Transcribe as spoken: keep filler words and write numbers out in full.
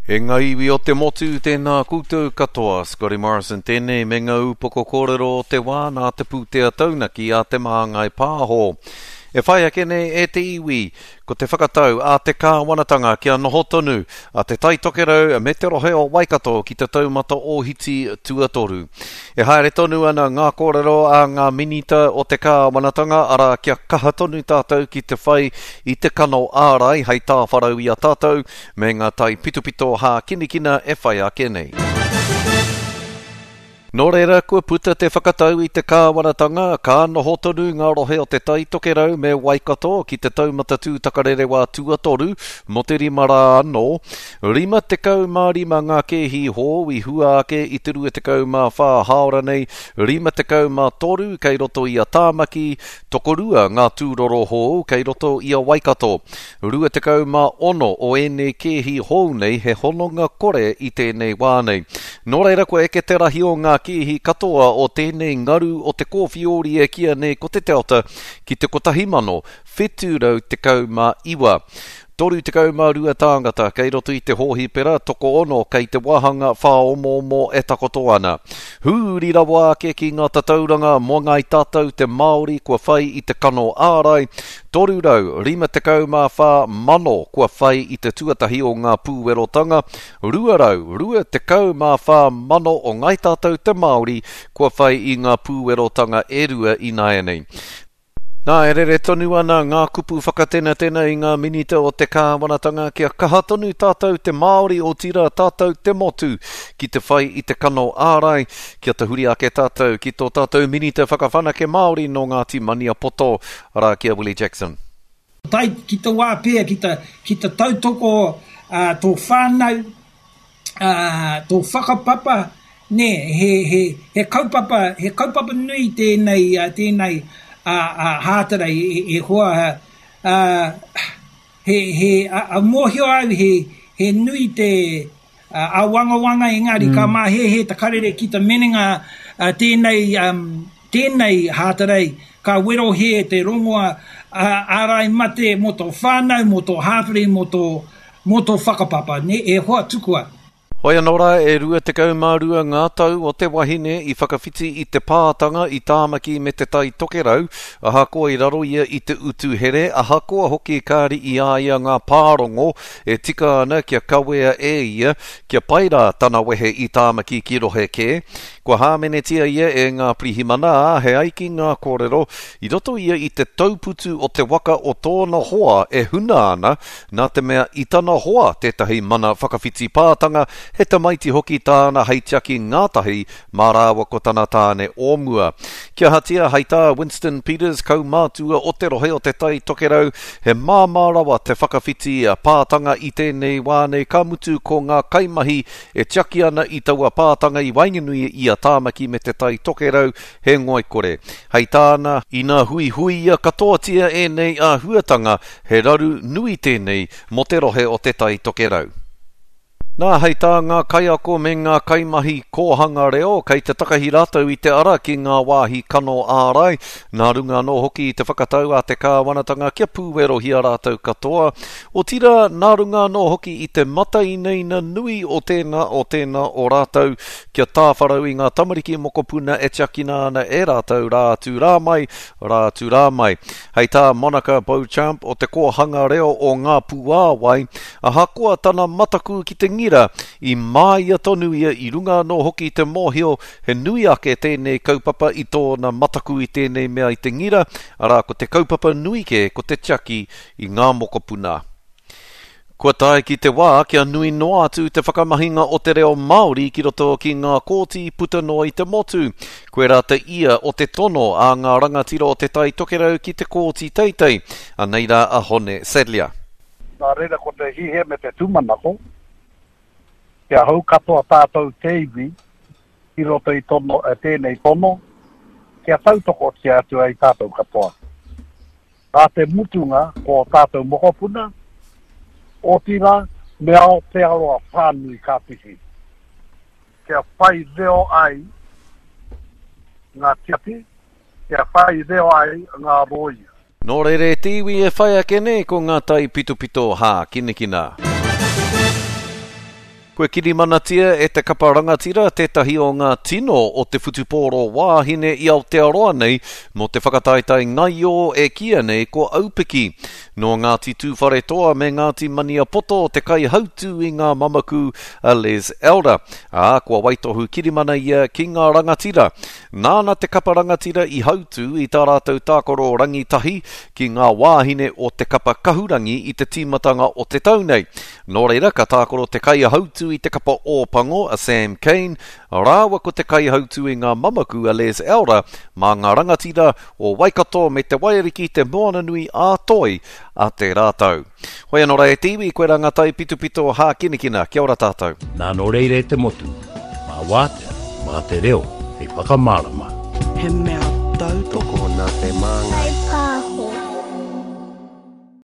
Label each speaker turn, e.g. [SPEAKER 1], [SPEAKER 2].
[SPEAKER 1] E ngā iwi o te motu, tēnā koutou katoa. Scotty Morrison tēnei me ngā upoko kōrero o te wā nā te pūtea taunaki a Te Māngai Pāho. E whai ake nei e te iwi, ko te whakatau a te kāwanatanga kia noho tonu a Te Tai Tokerau me te rohe o Waikato ki te taumata ōhiti tuatoru. E haere tonu ana ngā kōrero a ngā minita o te kāwanatanga, arā kia kaha tonu tātou ki te whai i te kano ārai hei tāwharau i a tātou me ngā taipitopito hākinakina e whai ake nei. Nō reira, kua puta te whakatau i te kāwanatanga, ka noho tonu ngā rohe o Te Tai Tokerau me Waikato ki te taumata tūtakarerewā tuatoru mō te rima rā anō. Rima tekau mā rima ngā kēhi hou i hua ake i te rua tekau mā whā hāora nei, rima tekau mā toru kei roto i a Tāmaki, tokorua ngā tūroro hou kei roto i a Waikato. Rua tekau mā ono o ēnei kēhi hou nei he hononga kore i tēnei wā nei. Nō reira, kua eke te rahi o ngā kēhi katoa o tēnei ngaru o te kōwhiori e kīia nei ko te Delta ki te kotahi mano, whitu rau tekau mā iwa. Toru tekau mā rua tāngata kei roto i te hōhipera, tokoono kei te wāhanga whāomoomo e takoto ana. Huri rawa ake ki ngā tatauranga mō ngāi tātou te Māori kua whai i te kano ārai, toru rau rima tekau mā whā mano kua whai i te tuatahi o ngā pūwerotanga, rua rau rua tekau mā whā mano o ngāi tātou te Māori kua whai i ngā pūwerotanga e rua ināianei. Nā, e rere tonu ana ngā kupu whakatenatena i ngā minita o te kāwanatanga kia kaha tonu tātou te Māori, otirā tātou te motu ki te whai i te kano ārai, kia tahuri ake tātou ki tō tātou minita whakawhanake Māori nō Ngāti Maniapoto, arā ki a Willie Jackson.
[SPEAKER 2] Tae ki te wā pea ki te, ki te tautoko uh, tō whānau, uh, tō whakapapa, nē, he, he, he kaupapa, he kaupapa nui tēnei, uh, tēnei a, a Hātarei e, e hoa, uh, he, he, a, a mōhio au he, he nui te uh, āwangawanga engari mm. ka māhēhē te karere ki te menenga uh, tēnei, um, tēnei Hātarei ka werohia te rongoa uh, ārai mate mō tō whānau, mō tō hāpori, mō tō, mō tō whakapapa, ne? E hoa tukua.
[SPEAKER 1] Hoi anō rā, e rua tekau mā rua ngā tau o te wahine i whakawhiti i te pātanga i Tāmaki me Te Tai Tokerau, ahakoa i raro ia i te utu here, ahakoa hoki kāri i a ia ngā pārongo e tika ana kia kawea e ia, kia pai rā tana wehe i Tāmaki ki rohe kē. Kua hāmenetia ia e ngā pirihimana, ā, he ai ki ngā kōrero, i roto ia i te tauputu o te waka o tōna hoa e huna ana, nā te mea i tana hoa tētahi mana whakawhiti pātanga, he tamaiti hoki tāna hei tiaki ngātahi mā rāua ko tana tāne o mua. Kia ahatia, hei tā Winston Peters, kaumātua o te rohe o Te Tai Tokerau, he māmā rawa te whakawhiti pātanga i tēnei wā nei, ka mutu ko ngā kaimahi e tiaki ana i taua pātanga i waenganui i a Tāmaki me Te Tai Tokerau, he ngoikore. Hei tāna, ina huihuia katoatia ēnei āhuatanga, he raru nui tēnei mō te rohe o Te Tai Tokerau. Nā, hei tā ngā kaiako me ngā kaimahi kōhanga reo, kei te takahi rātou i te ara ki ngā wāhi kano ārai, nā runga anō hoki i te whakatau a te kāwanatanga kia pūwerohia rātou katoa, otirā nā runga anō hoki i te matainaina nui o tēnā o tēnā o rātou kia tāwharau i ngā tamariki mokopuna e tiakina ana e rātou rā atu rā mai, rā atu rā mai. Hei tā Monica Beauchamp o te kōhanga reo o Ngā Puāwai, ahakoa tana mataku ki te ngira, i māia tonu ia i runga anō hoki i te mōhio he nui ake tēnei kaupapa i tōna mataku i tēnei mea i te ngira, arā ko te kaupapa nui kē ko te tiaki i ngā mokopuna. Kua tae ki te wā kia nui noa atu te whakamahinga o te reo Māori ki roto ki ngā kōti puta noa i te motu. Koirā te ia o te tono a ngā rangatira o Te Tai Tokerau ki te Kōti Teitei. Anei rā a Hone Sadlier.
[SPEAKER 3] Nā reira ko te hiahia me te tūmanako, kia hou katoa tātou te iwi ki roto i tono, tēnei tono, kia tautokotia atu ai tātou katoa. Nā te mutunga ko ō tātou mokopuna, otirā me Aotearoa whānui ka whiwhi. Kia whai reo ai ngā tiati, kia whai reo ai ngā rōia.
[SPEAKER 1] Nō reira e te iwi e whai ake nei ko ngā taipitopito hākinakina. Kua kirimanatia e te kapa rangatira tētahi o ngā tino o te whutupōro wāhine i Aotearoa nei mō te whakataetae ngaio e kīia nei ko Aupiki. Nō Ngāti Tūwharetoa me Ngāti Maniapoto te kaihautū i ngā mamaku a Les Elder, ā, kua waitohu kirimana ia ki ngā rangatira. Nāna te kapa rangatira i hautū i tā rātou tākaro rangitahi ki ngā wāhine o te kapa kahurangi i te tīmatanga o te tau nei. Nō reira, ka tākaro te kaihautū i te kapa Ōpango a Sam Cane, rāua ko te kaihautū i ngā mamaku a Les Elder mā ngā rangatira o Waikato me Te Waiariki Te Moananui ā-Toi a tērā tau. Hoi anō rā e te iwi, koirā ngā taipitopito hākinakina. Kia ora tātou.
[SPEAKER 4] Nā nō reira e te motu, mā wātea, mā te reo, hei whakamārama.
[SPEAKER 5] He mea tautoko
[SPEAKER 6] Tokona te māngai.